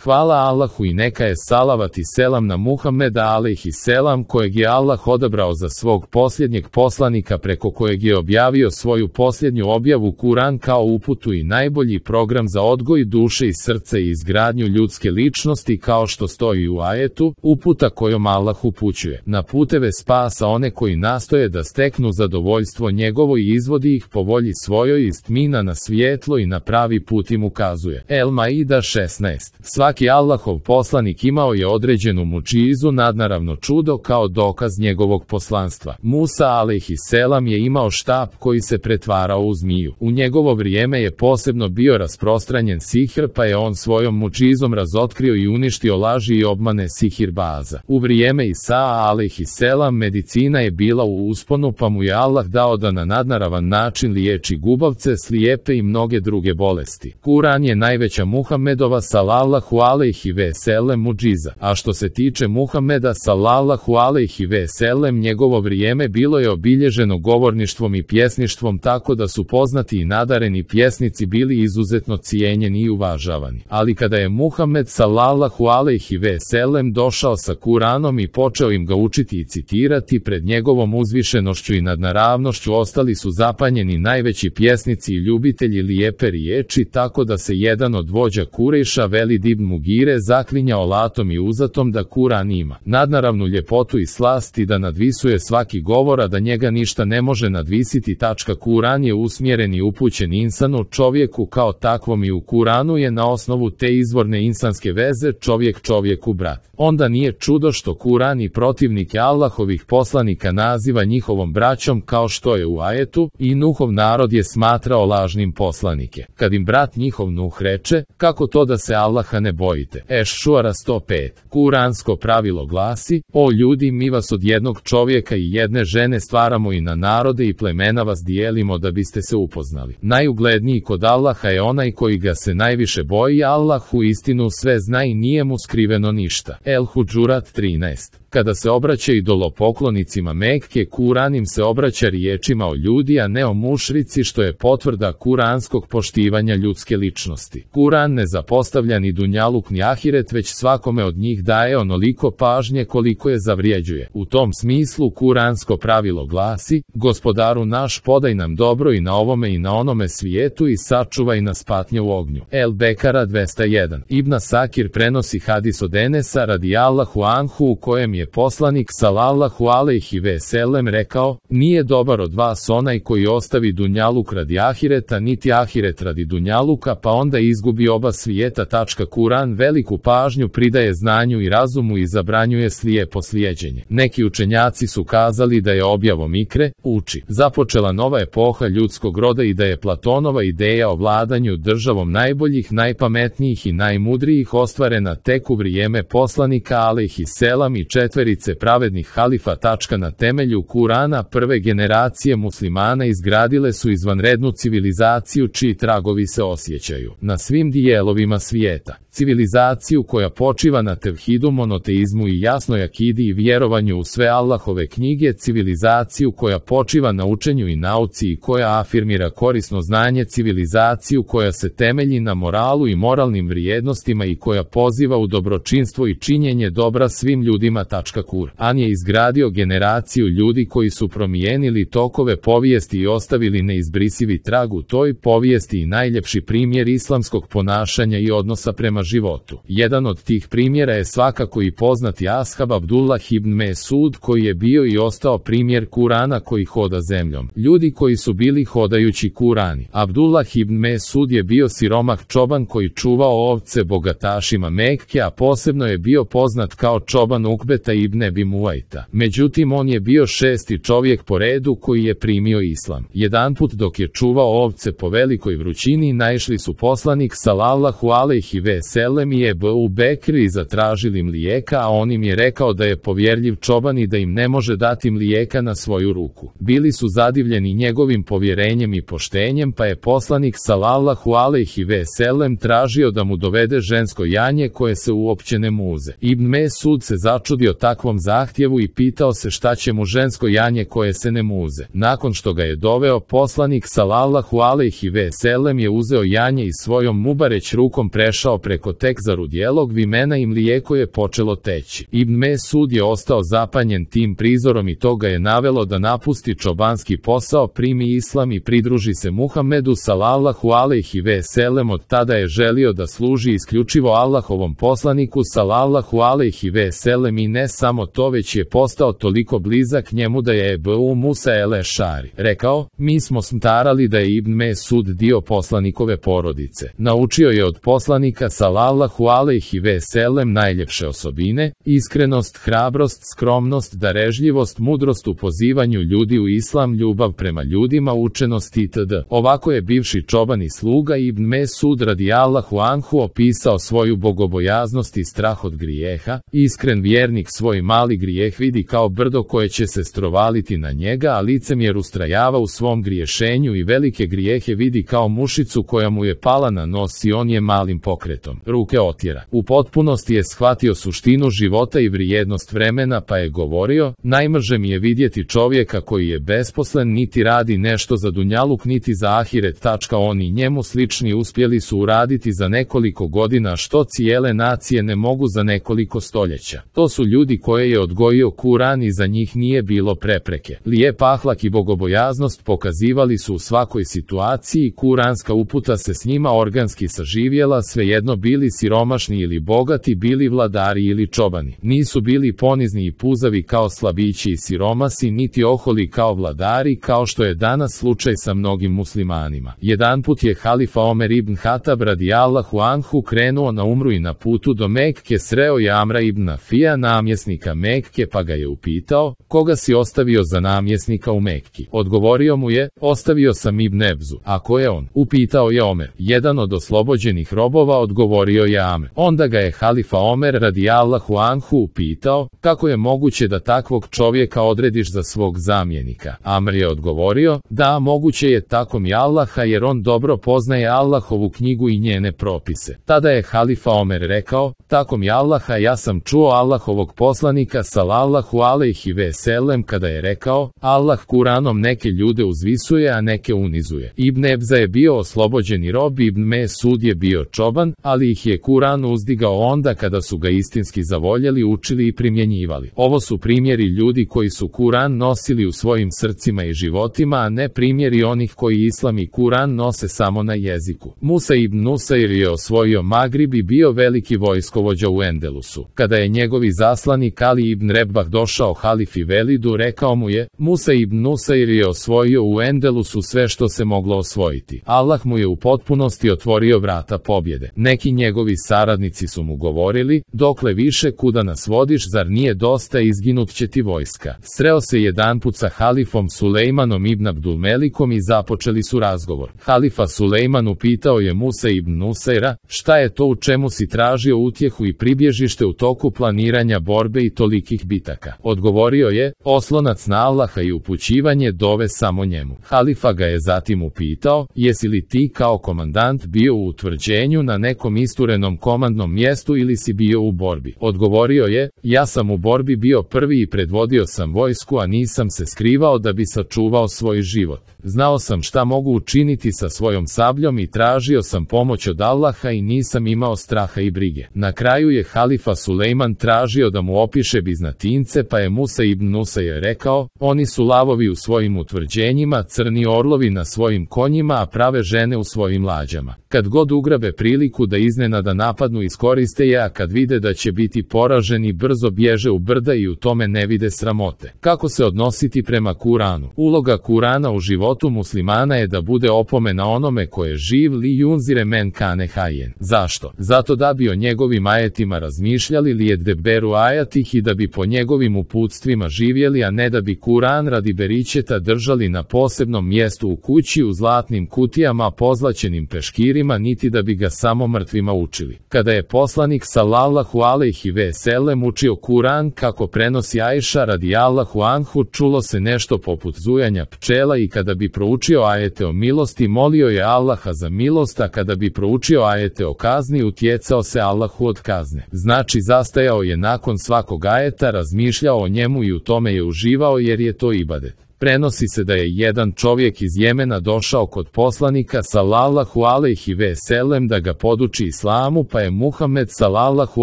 Hvala Allahu i neka je salavat i selam na Muhameda alejhi selam, kojeg je Allah odabrao za svog posljednjeg poslanika, preko kojeg je objavio svoju posljednju objavu Kuran kao uputu i najbolji program za odgoj duše i srca i izgradnju ljudske ličnosti, kao što stoji u ajetu, uputa kojom Allah upućuje na puteve spasa one koji nastoje da steknu zadovoljstvo njegovo i izvodi ih po volji svojoj iz tmina na svjetlo i na pravi put im ukazuje. El Maida 16. Svaki Allahov poslanik imao je određenu mučizu, nadnaravno čudo, kao dokaz njegovog poslanstva. Musa alejhi selam je imao štap koji se pretvarao u zmiju. U njegovo vrijeme je posebno bio rasprostranjen sihr, pa je on svojom mučizom razotkrio i uništio laži i obmane sihirbaza. U vrijeme Isaa alejhi selam medicina je bila u usponu, pa mu je Allah dao da na nadnaravan način liječi gubavce, slijepe i mnoge druge bolesti. Kuran je najveća Muhammedova sallallahu alejhi ve sellem muđiza. A što se tiče Muhammeda sallallahu alejhi ve sellem, njegovo vrijeme bilo je obilježeno govorništvom i pjesništvom, tako da su poznati i nadareni pjesnici bili izuzetno cijenjeni i uvažavani. Ali kada je Muhammed sallallahu alejhi ve sellem došao sa Kuranom i počeo im ga učiti i citirati, pred njegovom uzvišenošću i nadnaravnošću ostali su zapanjeni najveći pjesnici i ljubitelji lijepe riječi, tako da se jedan od vođa Kurejša, Velid ibn Mugire, zaklinjao latom i uzatom da Kuran ima nadnaravnu ljepotu i slast i da nadvisuje svaki govor, a da njega ništa ne može nadvisiti. Kuran je usmjeren i upućen insanu, čovjeku kao takvom, i u Kuranu je na osnovu te izvorne insanske veze čovjek čovjeku brat. Onda nije čudo što Kuran i protivnike Allahovih poslanika naziva njihovom braćom, kao što je u ajetu: i Nuhov narod je smatrao lažnim poslanike. Kad im brat njihov Nuh reče: kako to da se Allaha ne bojite? Eš-Šuara 105. Kuransko pravilo glasi: o ljudi, mi vas od jednog čovjeka i jedne žene stvaramo i na narode i plemena vas dijelimo da biste se upoznali. Najugledniji kod Allaha je onaj koji ga se najviše boji. Allah u istinu sve zna i nije mu skriveno ništa. El-Hudžurat 13. Kada se obraća idolopoklonicima Mekke, Kuran im se obraća riječima o ljudi, a ne o mušrici, što je potvrda kuranskog poštivanja ljudske ličnosti. Kuran ne zapostavlja ni dunjaluk ni ahiret, već svakome od njih daje onoliko pažnje koliko je zavrijeđuje. U tom smislu kuransko pravilo glasi: gospodaru naš, podaj nam dobro i na ovome i na onome svijetu i sačuvaj nas patnje u ognju. El-Bekara 201. Ibn Sakir prenosi hadis od Enesa radijallahu anhu, u kojem je poslanik sallallahu alejhi ve sellem rekao: nije dobar od vas onaj koji ostavi dunjaluk radi ahireta, niti ahiret radi dunjaluka, pa onda izgubi oba svijeta. Kuran veliku pažnju pridaje znanju i razumu i zabranjuje slijepo slijeđenje. Neki učenjaci su kazali da je objavom ikre, uči, započela nova epoha ljudskog roda i da je Platonova ideja o vladanju državom najboljih, najpametnijih i najmudrijih ostvarena tek u vrijeme poslanika alejhi selam i četverice pravednih halifa. Na temelju Kurana prve generacije muslimana izgradile su izvanrednu civilizaciju čiji tragovi se osjećaju na svim dijelovima svijeta. Civilizaciju koja počiva na tevhidu, monoteizmu i jasnoj akidi i vjerovanju u sve Allahove knjige, civilizaciju koja počiva na učenju i nauci i koja afirmira korisno znanje, civilizaciju koja se temelji na moralu i moralnim vrijednostima i koja poziva u dobročinstvo i činjenje dobra svim ljudima. Kur'an je izgradio generaciju ljudi koji su promijenili tokove povijesti i ostavili neizbrisivi trag u toj povijesti i najljepši primjer islamskog ponašanja i odnosa prema životu. Jedan od tih primjera je svakako i poznati ashab Abdullah ibn Mesud, koji je bio i ostao primjer Kurana koji hoda zemljom. Ljudi koji su bili hodajući Kurani. Abdullah ibn Mesud je bio siromah čoban koji čuvao ovce bogatašima Mekke, a posebno je bio poznat kao čoban Ukbeta ibn Ebi Muajta. Međutim, on je bio šesti čovjek po redu koji je primio islam. Jedanput dok je čuvao ovce po velikoj vrućini, naišli su poslanik sallallahu alejhi ve sellem i Ebu Bekr i zatražili mlijeka, a on im je rekao da je povjerljiv čoban i da im ne može dati mlijeka na svoju ruku. Bili su zadivljeni njegovim povjerenjem i poštenjem, pa je poslanik sallallahu alejhi ve sellem tražio da mu dovede žensko janje koje se uopće ne muze. Ibn Mesud se začudio takvom zahtjevu i pitao se šta će mu žensko janje koje se ne muze. Nakon što ga je doveo, poslanik sallallahu alejhi ve sellem je uzeo janje i svojom mubareć rukom prešao preko preko tek zarudjelog vimena i mlijeko je počelo teći. Ibn Mesud je ostao zapanjen tim prizorom i to ga je navelo da napusti čobanski posao, primi islam i pridruži se Muhammedu sallallahu alejhi ve sellem. Od tada je želio da služi isključivo Allahovom poslaniku sallallahu alejhi ve sellem i ne samo to, već je postao toliko blizak njemu da je Ebu Musa el-Ešari rekao: mi smo smatrali da je Ibn Mesud dio poslanikove porodice. Naučio je od poslanika sallallahu alejhi ve sellem najljepše osobine: iskrenost, hrabrost, skromnost, darežljivost, mudrost u pozivanju ljudi u islam, ljubav prema ljudima, učenost itd. Ovako je bivši čoban i sluga Ibn Mesud radijallahu anhu opisao svoju bogobojaznost i strah od grijeha. Iskren vjernik svoj mali grijeh vidi kao brdo koje će se strovaliti na njega, a licemjer ustrajava u svom griješenju i velike grijehe vidi kao mušicu koja mu je pala na nos i on je malim pokretom ruke otjera. U potpunosti je shvatio suštinu života i vrijednost vremena, pa je govorio: najmrže mi je vidjeti čovjeka koji je besposlen, niti radi nešto za dunjaluk niti za ahiret. Oni njemu slični uspjeli su uraditi za nekoliko godina što cijele nacije ne mogu za nekoliko stoljeća. To su ljudi koje je odgojio Kur'an i za njih nije bilo prepreke. Lijep ahlak i bogobojaznost pokazivali su u svakoj situaciji, kuranska uputa se s njima organski saživjela, svejedno bili siromašni ili bogati, bili vladari ili čobani. Nisu bili ponizni i puzavi kao slabići i siromasi, niti oholi kao vladari, kao što je danas slučaj sa mnogim muslimanima. Jedanput je halifa Omer ibn Hatab radijallahu anhu krenuo na umru i na putu do Mekke sreo je Amra ibn Afija, namjesnika Mekke, pa ga je upitao: koga si ostavio za namjesnika u Mekki? Odgovorio mu je: ostavio sam Ibn Ebzu. A ko je on? Upitao je Omer. Jedan od oslobođenih robova, odgovorio je Amr. Onda ga je halifa Omer radijallahu anhu upitao: kako je moguće da takvog čovjeka odrediš za svog zamjenika? Amr je odgovorio: da, moguće je, tako mi Allaha, jer on dobro poznaje Allahovu knjigu i njene propise. Tada je halifa Omer rekao: tako mi Allaha, ja sam čuo Allahovog poslanika sallallahu alejhi ve sellem kada je rekao: Allah Kur'anom neke ljude uzvisuje, a neke unizuje. Ibn Ebza je bio oslobođeni rob, Ibn Mesud je bio čoban, ali ih je Kur'an uzdigao onda kada su ga istinski zavoljeli, učili i primjenjivali. Ovo su primjeri ljudi koji su Kur'an nosili u svojim srcima i životima, a ne primjeri onih koji islam i Kur'an nose samo na jeziku. Musa ibn Nusair je osvojio Magrib i bio veliki vojskovođa u Endelusu. Kada je njegovi zaslanik Ali ibn Rebah došao halifi Velidu, rekao mu je: Musa ibn Nusair je osvojio u Endelusu sve što se moglo osvojiti. Allah mu je u potpunosti otvorio vrata pobjede. Neki njegovi saradnici su mu govorili: dokle više, kuda nas vodiš, zar nije dosta, izginut će ti vojska. Sreo se jedanput sa halifom Sulejmanom ibn Abdulmelikom i započeli su razgovor. Halifa Sulejman upitao je Musa ibn Nusaira: šta je to u čemu si tražio utjehu i pribježište u toku planiranja borbe i tolikih bitaka? Odgovorio je: oslonac na Allaha i upućivanje dove samo njemu. Halifa ga je zatim upitao: jesi li ti kao komandant bio u utvrđenju na nekom isturenom komandnom mjestu ili si bio u borbi? Odgovorio je: ja sam u borbi bio prvi i predvodio sam vojsku, a nisam se skrivao da bi sačuvao svoj život. Znao sam šta mogu učiniti sa svojom sabljom i tražio sam pomoć od Allaha i nisam imao straha i brige. Na kraju je halifa Sulejman tražio da mu opiše Biznatince, pa je Musa ibn Nusair rekao: oni su lavovi u svojim utvrđenjima, crni orlovi na svojim konjima, a prave žene u svojim lađama. Kad god ugrabe priliku da iznenada napadnu, iskoriste je, a kad vide da će biti poraženi, brzo bježe u brda i u tome ne vide sramote. Kako se odnositi prema Kur'anu? Uloga Kur'ana u životu muslimana je da bude opomena onome ko je živ, li junzire men kane hajen. Zašto? Zato da bi o njegovim ajetima razmišljali, li jedberu ajatih, i da bi po njegovim uputstvima živjeli, a ne da bi Kur'an radi beričeta držali na posebnom mjestu u kući u zlatnim kutijama pozlaćenim peškirima, niti da bi ga samo mrtvima učili. Kada je poslanik sallallahu alejhi ve sellem učio Kur'an kako prenosi Ajša radijallahu anhu, čulo se nešto poput zujanja pčela, i kada bi proučio ajete o milosti, molio je Allaha za milost, a kada bi proučio ajete o kazni, utjecao se Allahu od kazne. Znači, zastajao je nakon svakog ajeta, razmišljao o njemu i u tome je uživao, jer je to ibadet. Prenosi se da je jedan čovjek iz Jemena došao kod poslanika sallallahu alejhi ve sellem da ga poduči islamu, pa je Muhammed sallallahu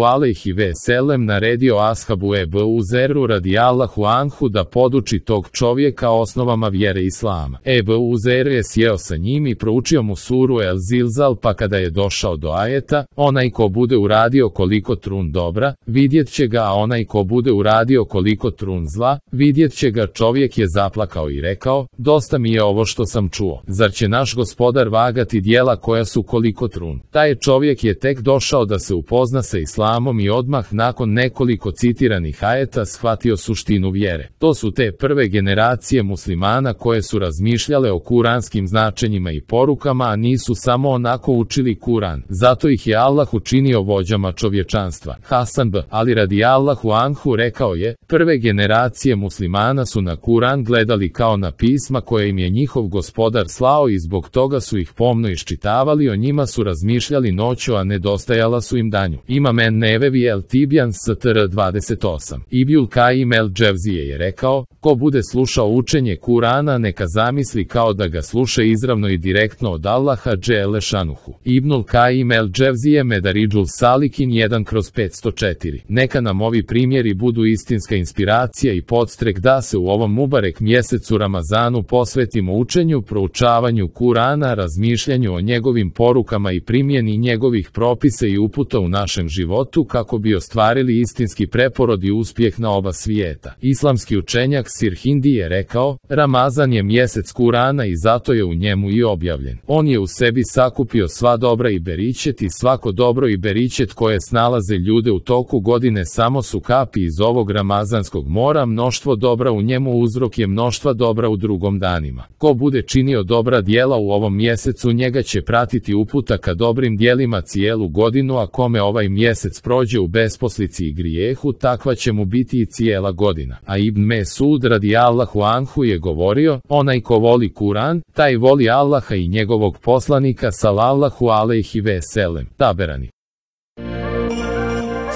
alejhi ve sellem naredio ashabu Ebu Zeru radijallahu anhu da poduči tog čovjeka osnovama vjere islama. Ebu Zer je sjeo sa njim i proučio mu suru El Zilzal, pa kada je došao do ajeta, onaj ko bude uradio koliko trun dobra, vidjet će ga, a onaj ko bude uradio koliko trun zla, vidjet će ga. Čovjek je zaplakao i rekao, dosta mi je ovo što sam čuo. Zar će naš gospodar vagati djela koja su koliko trun? Taj čovjek je tek došao da se upozna sa islamom i odmah nakon nekoliko citiranih ajeta shvatio suštinu vjere. To su te prve generacije muslimana koje su razmišljale o kuranskim značenjima i porukama, a nisu samo onako učili Kuran. Zato ih je Allah učinio vođama čovječanstva. Hasan b. Ali radijallahu anhu rekao je, prve generacije muslimana su na Kuran gledali kao na pisma koje im je njihov gospodar slao i zbog toga su ih pomno iščitavali, o njima su razmišljali noću, a nedostajala su im danju. Imam Nevevi El Tibjan Str 28. Ibnul Kajim El Dževzije je rekao, ko bude slušao učenje Kurana neka zamisli kao da ga sluša izravno i direktno od Allaha dželle šanuhu. Ibnul Kajim El Dževzije Medaridžul Salikin 1/504. Neka nam ovi primjeri budu istinska inspiracija i podstrek da se u ovom mubarek mjesecu Ramazanu posvetimo učenju, proučavanju Kurana, razmišljanju o njegovim porukama i primjeni njegovih propisa i uputa u našem životu kako bi ostvarili istinski preporod i uspjeh na oba svijeta. Islamski učenjak Sirhindi je rekao, Ramazan je mjesec Kurana i zato je u njemu i objavljen. On je u sebi sakupio sva dobra i beričet, i svako dobro i beričet koje snalaze ljude u toku godine samo su kapi iz ovog ramazanskog mora. Mnoštvo dobra u njemu uzrok je mnoštva dobra u drugom danima. Ko bude činio dobra djela u ovom mjesecu, njega će pratiti uputa ka dobrim djelima cijelu godinu, a kome ovaj mjesec prođe u besposlici i grijehu, takva će mu biti i cijela godina. A Ibn Mesud radijallahu anhu je govorio, onaj ko voli Kuran, taj voli Allaha i njegovog poslanika sallallahu alejhi ve sellem. Taberani.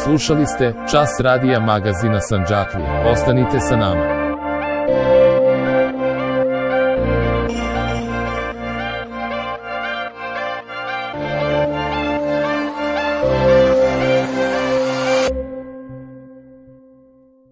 Slušali ste Čas radija magazina Sandžaklija. Ostanite sa nama.